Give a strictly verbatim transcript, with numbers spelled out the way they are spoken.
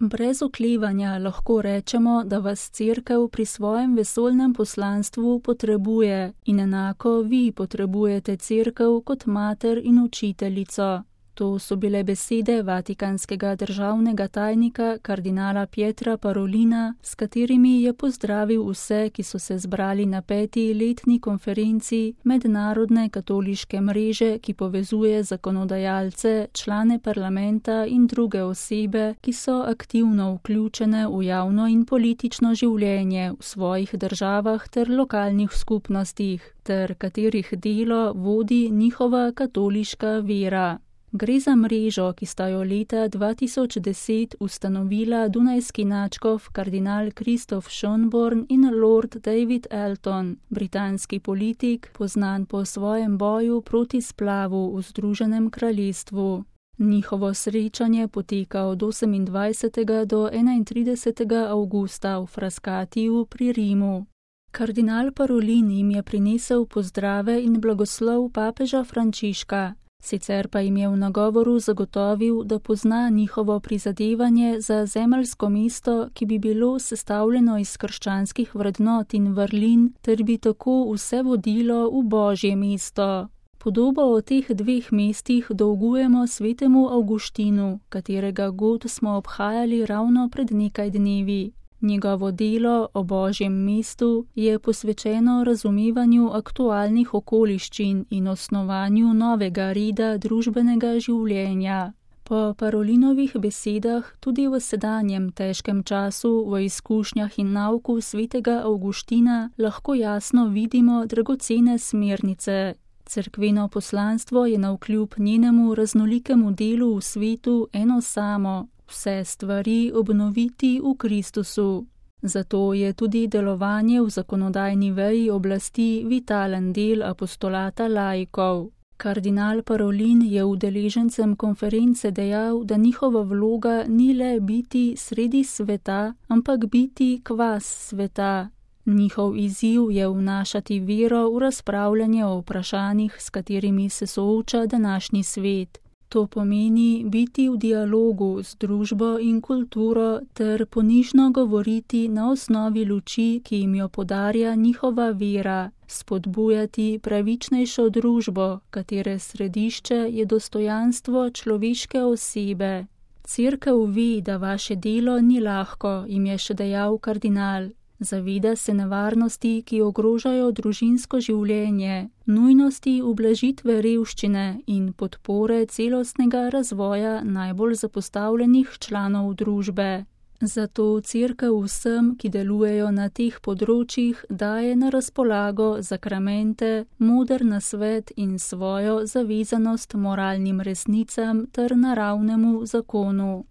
Brez oklevanja lahko rečemo, da vas Cerkev pri svojem vesoljnem poslanstvu potrebuje in enako vi potrebujete Cerkev kot mater in učiteljico. To so bile besede vatikanskega državnega tajnika kardinala Pietra Parolina, s katerimi je pozdravil vse, ki so se zbrali na peti letni konferenci Mednarodne katoliške mreže, ki povezuje zakonodajalce, člane parlamenta in druge osebe, ki so aktivno vključene v javno in politično življenje v svojih državah ter lokalnih skupnostih, ter katerih delo vodi njihova katoliška vera. Gre za mrežo, ki sta jo leta dva tisoč deset ustanovila dunajski nadškof kardinal Kristof Schönborn in lord David Elton, britanski politik, poznan po svojem boju proti splavu v Združenem kraljestvu. Njihovo srečanje poteka od osemindvajsetega do enaintridesetega avgusta v Frascatiju pri Rimu. Kardinal Parolin jim je prinesel pozdrave in blagoslov papeža Frančiška. Sicer pa jim je v nagovoru zagotovil, da pozna njihovo prizadevanje za zemeljsko mesto, ki bi bilo sestavljeno iz krščanskih vrednot in vrlin, ter bi tako vse vodilo v Božje mesto. Podobo o teh dveh mestih dolgujemo svetemu Avguštinu, katerega god smo obhajali ravno pred nekaj dnevi. Njegovo delo o Božjem mestu je posvečeno razumevanju aktualnih okoliščin in osnovanju novega reda družbenega življenja. Po Parolinovih besedah tudi v sedanjem težkem času v izkušnjah in nauku svetega Avguština lahko jasno vidimo dragocene smernice. Cerkveno poslanstvo je navkljub njenemu raznolikemu delu v svetu eno samo. Vse stvari obnoviti v Kristusu. Zato je tudi delovanje v zakonodajni veji oblasti vitalen del apostolata laikov. Kardinal Parolin je udeležencem konference dejal, da njihova vloga ni le biti sredi sveta, ampak biti kvas sveta. Njihov izziv je vnašati vero v razpravljanje o vprašanjih, s katerimi se sooča današnji svet. To pomeni biti v dialogu z družbo in kulturo ter ponižno govoriti na osnovi luči, ki jim jo podarja njihova vera, spodbujati pravičnejšo družbo, katere središče je dostojanstvo človeške osebe. Cerkev ve, da vaše delo ni lahko, jim je še dejal kardinal. Zaveda se nevarnosti, ki ogrožajo družinsko življenje, nujnosti ublažitve revščine in podpore celostnega razvoja najbolj zapostavljenih članov družbe. Zato Cerkev vsem, ki delujejo na teh področjih, daje na razpolago zakramente, moder nasvet in svojo zavezanost moralnim resnicam ter naravnemu zakonu.